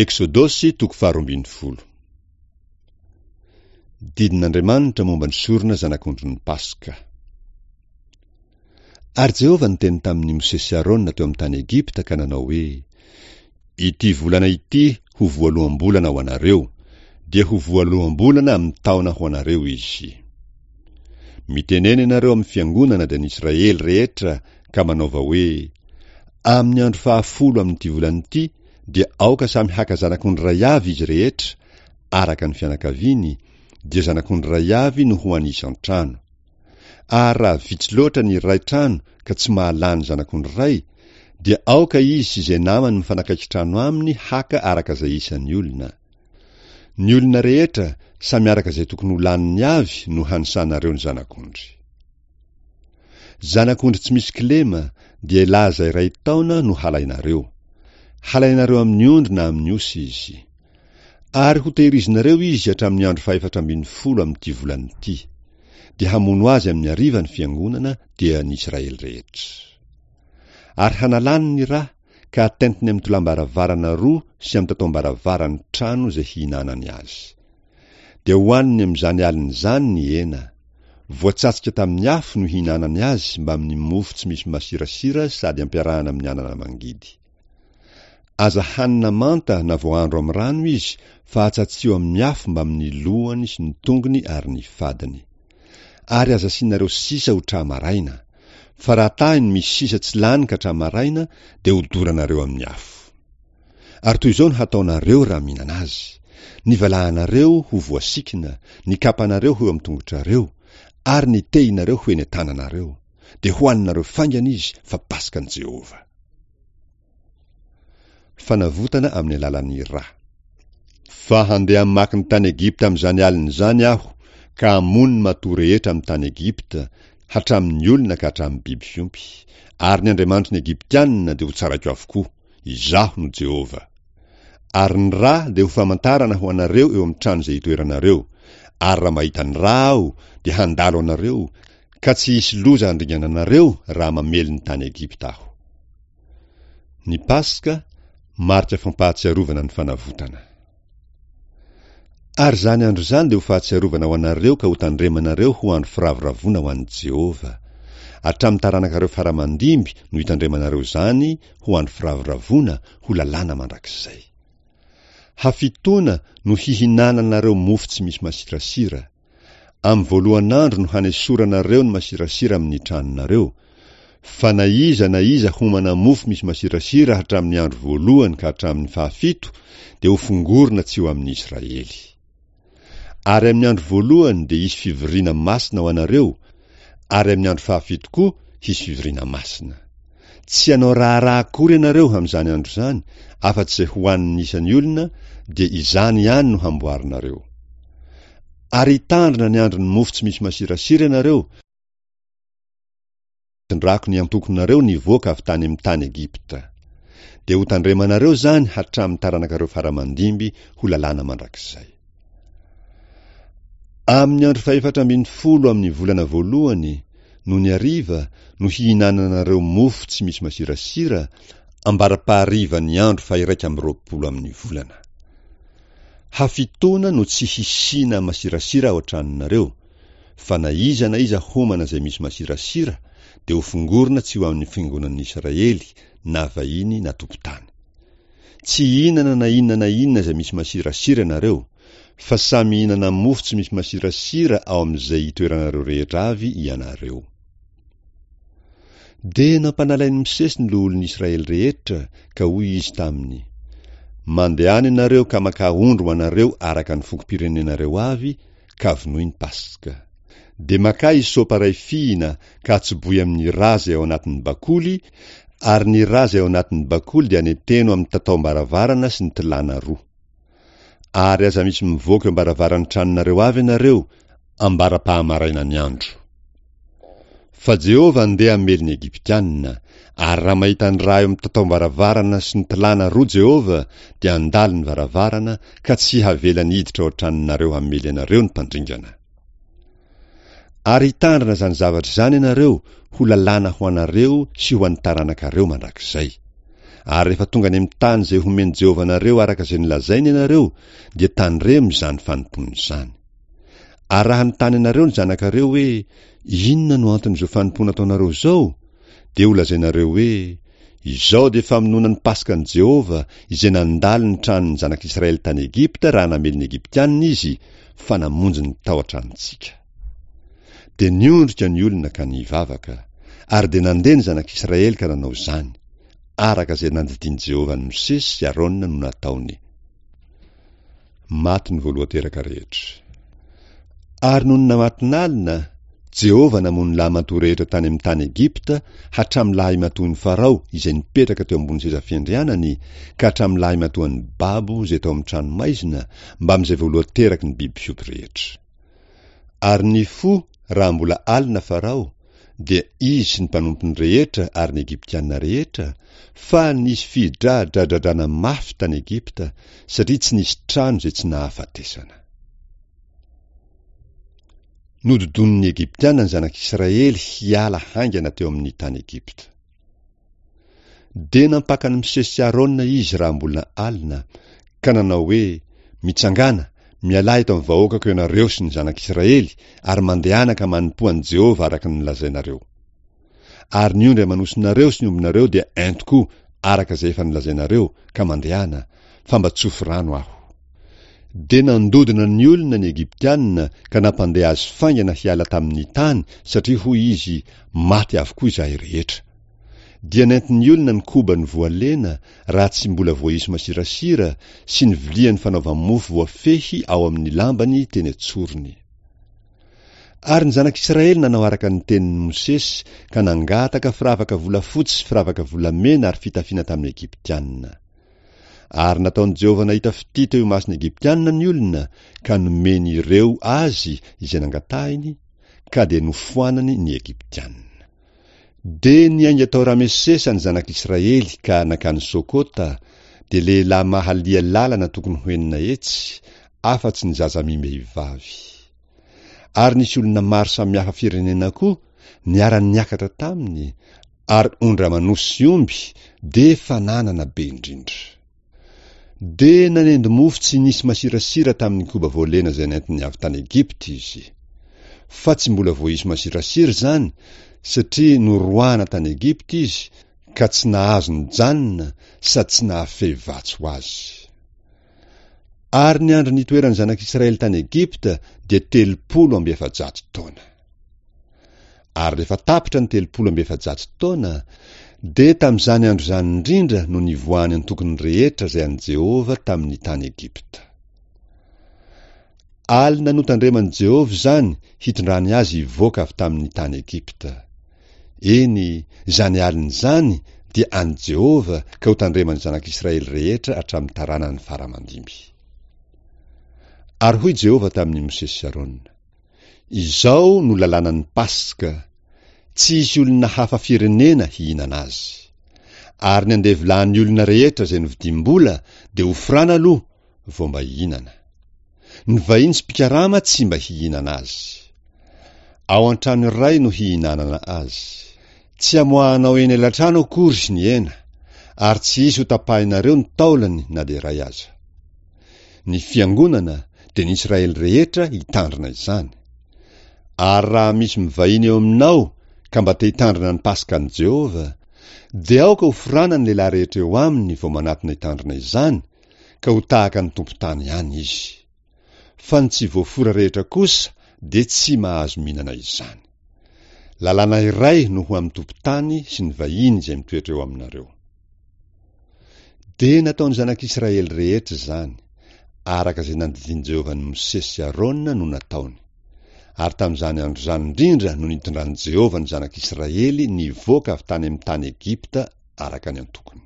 Eksodosy toko faharoambinifolo. Didin'Andriamanitra momba ny sorona zanak'ondrin'ny Paska. Ary Jehovah niteny tamin'i Mosesy sy Arona teo amin'ny tany Egypta ka nanao hoe, Ity volana ity ho voaloham-bolana ho anareo, dia ho voaloham-bolana amin'ny taona ho anareo izy. Mitenena ianareo amin'ny fiangonana dia ny Israely rehetra ka manaova hoe, Amin'ny andro fahafolo amin'ity volana ity dia aoka samy haka zanak'ondry iray avy izy rehetra, araka ny fianakaviany, dia zanak'ondry iray avy no ho an'ny isan-trano. Ary raha vitsy loatra ny iray trano ka tsy mahalany zanak'ondry iray, dia aoka izy sy izay namany mifanakaiky trano aminy haka araka izay isan'ny olona. Ny olona rehetra, samy araka izay tokony ho laniny avy no hanisanareo ny zanak'ondry. Zanak'ondry tsy misy kilema, dia laza iray taona no halainareo. Halainareo amin'ny ondry na amin'ny osy izy. Ary hotehirizinareo izy hatramin'ny andro fahefatra ambin'ny folo amin'ity volana ity. Dia hamono azy amin'ny hariva ny fiangonana, dia ny Israely rehetra. Ary hanalany ny ra, ka hatentiny amin'ny tolam-baravarana roa sy amin'ny tataom-baravaran'ny trano izay hihinanany azy. Dia hohaniny amin'izany alina izany ny hena. Voatsatsika tamin'ny afo no hihinanany azy mbamin'ny mofo tsy misy masirasira sady ampiarahana amin'ny anana mangidy. Aza hanina manta na voahandro amin'ny rano izy fa atsatsiho amin'ny afo mbamin'ny lohany sy ny tongony ary ny fadiny. Ary aza asianareo sisa ho tra-maraina, fa raha tahiny misy sisa tsy lany ka tra-maraina dia hodoranareo amin'ny afo. Ary toy izao no hataonareo raha mihinana azy, ny valahanareo ho voasikina, ny kapanareo ho eo amin'ny tongotrareo, ary ny tehinareo ho eny an-tananareo, dia hohaninareo faingana izy fa Paskan'i Jehovah. Fanavotana amin'ny alalan'ny ra. Fa handeha hamaky ny tany Egypta amin'izany alina izany Aho, ka hamono ny matoa rehetra amin'ny tany Egypta, hatramin'ny olona ka hatramin'ny biby fiompy, ary ny andriamanitry ny Egyptianina dia hotsaraiko avokoa. Izaho no Jehovah. Ary ny ra dia ho famantarana ho anareo eo amin'ny trano izay itoeranareo, ary raha mahita ny ra Aho, dia handalo anareo, ka tsy hisy loza handringana anareo raha mamely ny tany Egypta Aho. Ny Paska, marika fampahatsiarovana ny fanavotana. Ary izany andro izany dia ho fahatsiarovana ho anareo ka hotandremanareo ho andro firavoravoana ho an'i Jehovah. Hatramin'ny taranakareo fara aman-dimby no hitandremanareo izany ho andro firavoravoana, ho lalàna mandrakizay. Hafitoana no hihinananareo mofo tsy misy masirasira. Amin'ny voalohan'andro no hanesoranareo ny masirasira amin'ny tranonareo, fa na iza na iza homana mofo misy masirasira hatramin'ny andro voalohany ka hatramin'ny fahafito dia hofongorina tsy ho amin'i Israely. Ary amin'ny andro voalohany dia hisy fivoriana masina ho anareo, ary amin'ny andro fahafito koa hisy fivoriana masina. Tsy hanao raharaha akory ianareo amin'izany andro izany, afa-tsy izay hohanin'ny isan'ny olona, dia izany ihany no hamboarinareo. Ary hitandrina ny andron'ny mofo tsy misy masirasira ianareo, hitondrako ny antokonareo nivoaka avy tany amin'ny tany Egypta. Dia hotandremanareo izany hatramin'ny taranakareo fara aman-dimby ho lalàna mandrakizay. Amin'ny andro fahefatra ambin'ny folo amin'ny volana voalohany, nony hariva, no hihinananareo mofo tsy misy masirasira, ambara-paharivan'ny andro faha-21 amin'ny volana. Hafitoana no tsy hisiana masirasira ao an-tranonareo, fa na iza na iza homana izay misy masirasira dia hofongorina tsy ho amin'ny fiangonan'ny Israely na vahiny na tompon-tany. Tsy hihinana na inona na inona izay misy masirasira ianareo, fa samy hihinana mofo tsy misy masirasira ao amin'izay itoeranareo rehetra avy ianareo. Dia nampanalain'i Mosesy ny loholon'ny Israely rehetra, ka hoy izy taminy, Mandehana ianareo ka makà ondry ho anareo araka ny fokom-pirenenareo avy, ka vonoy ny Paska. Dia makà hysopa iray fihina ka atsobohy amin'ny rà izay ao anatin'ny bakoly, ary ny rà izay ao anatin'ny bakoly dia aneteno amin'ny tataom-baravarana sy ny tilàna roa. Ary aza misy mivoaka eo am-baravaran'ny tranonareo avy ianareo ambara-pahamarainan'ny andro. Fa Jehovah andeha hamely ny Egyptiana, ary raha mahita ny rà eo amin'ny tataom-baravarana sy ny tilàna roa Jehovah, dia handalo ny varavarana, ka tsy havelany hiditra ao an-tranonareo hamely anareo ny mpandringana. Ary hitandrina izany zavatra izany ianareo ho lalàna ho anareo sy ho an'ny taranakareo mandrakizay. Ary rehefa tonga any amin'ny tany izay homen'i Jehovah anareo araka izay nolazainy ianareo, dia tandremo izany fanompoana izany. Ary raha hanontany anareo ny zanakareo hoe, Inona no anton'izao fanompoana ataonareo izao? dia holazainareo hoe, Izao dia famonoana ny Paskan'i Jehovah, izay nandalo ny tranon'ny zanak'Israely tany Egypta raha namely ny Egyptianina izy, fa namonjy ny tao an-tranontsika. Dia niondrika ny olona ka nivavaka, ary dia nandeha ny zanak'Israely ka nanao izany, araka izay nandidian'i Jehovah an'i Mosesy sy Arona no nataony. Maty ny voalohan-teraka rehetra. Ary nony namatonalina, Jehovah namono lahimatoa rehetra tany amin'ny tany Egypta, hatramin'ny lahimatoan'i Farao izay nipetraka teo ambony seza fiandrianany, ka hatramin'ny lahimatoan'ny babo izay tao amin'ny tranomaizina, mbamin'izay voalohan-teraky ny biby fiompy rehetra. Ary nifoha raha mbola alina Farao, dia izy sy ny mpanompony rehetra ary ny Egyptiana rehetra, fa nisy fidradradradrana mafy tany Egypta, satria tsy nisy trano izay tsy nahafatesana. Nododonin'ny Egyptiana ny zanak'Israely hiala haingana teo amin'ny tany Egypta. Dia nampaka an'i Mosesy sy Arona izy raha mbola alina, ka nanao hoe, Mitsangàna, mialà eto amin'ny vahoakako ianareo sy ny zanak'Israely, ary mandehana ka manompoa an'i Jehovah araka ny nolazainareo. Ary ny ondry aman'osinareo sy ny ombinareo dia ento koa araka izay efa nolazainareo, ka mandehana, fa mba tsofy rano aho. Dia nandodona ny olona ny Egyptiana ka nampandeha azy faingana hiala tamin'ny tany, satria hoy izy, Maty avokoa izahay rehetra. Dia nentin'ny olona ny kobany voalena raha tsy mbola voaisy masirasira sy ny viliany fanaova-mofo voafehy ao amin'ny lambany teny an-tsorony. Ary ny zanak'Israely nanao araka ny tenin'i Mosesy ka nangataka firavaka volafotsy sy firavaka volamena ary fitafiana tamin'ny Egyptiana. Ary nataon'i Jehovah nahita fitia teo imason'ny Egyptiana ny olona, ka nomeny ireo azy izay nangatahiny, ka dia nofoanany ny Egyptiana. Dia niainga tao Ramesesa ny zanak'Israely ka nankany Sokota, dia lehilahy mahalia lalana tokony ho 600, afa-tsy ny zaza amim-behivavy. Ary nisy olona maro samihafa firenena koa niara-niakatra taminy, ary ondry aman'osy sy omby dia fananana be indrindra. Dia nanendy mofo tsy nisy masirasira tamin'ny koba voalena izay nentiny avy tany Egypta izy. Fa tsy mbola voaisy masirasira izany, satria noroahana tany Egypta izy, ka tsy nahazo nijanona sady tsy nahafehy vatsy ho azy. Ary ny andro nitoeran'ny zanak'Israely tany Egypta dia 430 taona. Ary rehefa tapitra ny 430 taona, dia tamin'izany andro izany indrindra no nivoahan'ny antokony rehetra izay an'i Jehovah tamin'ny tany Egypta. Alina notandreman'i Jehovah izany hitondrany azy hivoaka avy tamin'ny tany Egypta. Eny, izany alina izany dia an'i Jehovah ka hotandreman'ny zanak'Israely rehetra hatramin'ny taranany fara aman-dimby. Ary hoy Jehovah tamin'i Mosesy sy Arona, Izao no lalànan'ny Paska, Tsy hisy olona hafa firenena hihinana azy. Ary ny andevolahin'ny olona rehetra izay novidiam-bola dia hofrana aloha vao mba hihinana. Ny vahiny sy mpikarama tsy mba hihinana azy. Ao an-trano iray no hihinanana azy. Tsy hamoahanao eny alatrano akory ny hena, ary tsy hisy hotapahinareo ny taolany na dia iray aza. Ny fiangonana, dia ny Israely rehetra hitandrina izany. Ary raha misy mivahiny eo aminao ka mba te hitandrina ny Paskan'i Jehovah, dia aoka hoforana ny lehilahy rehetra eo aminy vao manatona hitandrina izany, ka ho tahaka ny tompon-tany ihany izy. Fa ny tsy voafora rehetra kosa dia tsy mahazo mihinana izany. Lalàna iray no ho amin'ny tompon-tany sy ny vahiny izay mitoetra eo aminareo. Dia nataon'ny zanak'Israely rehetra izany, araka izay nandidian'i Jehovah an'i Mosesy sy Arona no nataony. Ary tamin'izany andro izany indrindra no nitondran'i Jehovah ny zanak'Israely nivoaka avy tany amin'ny tany Egypta araka ny antokony.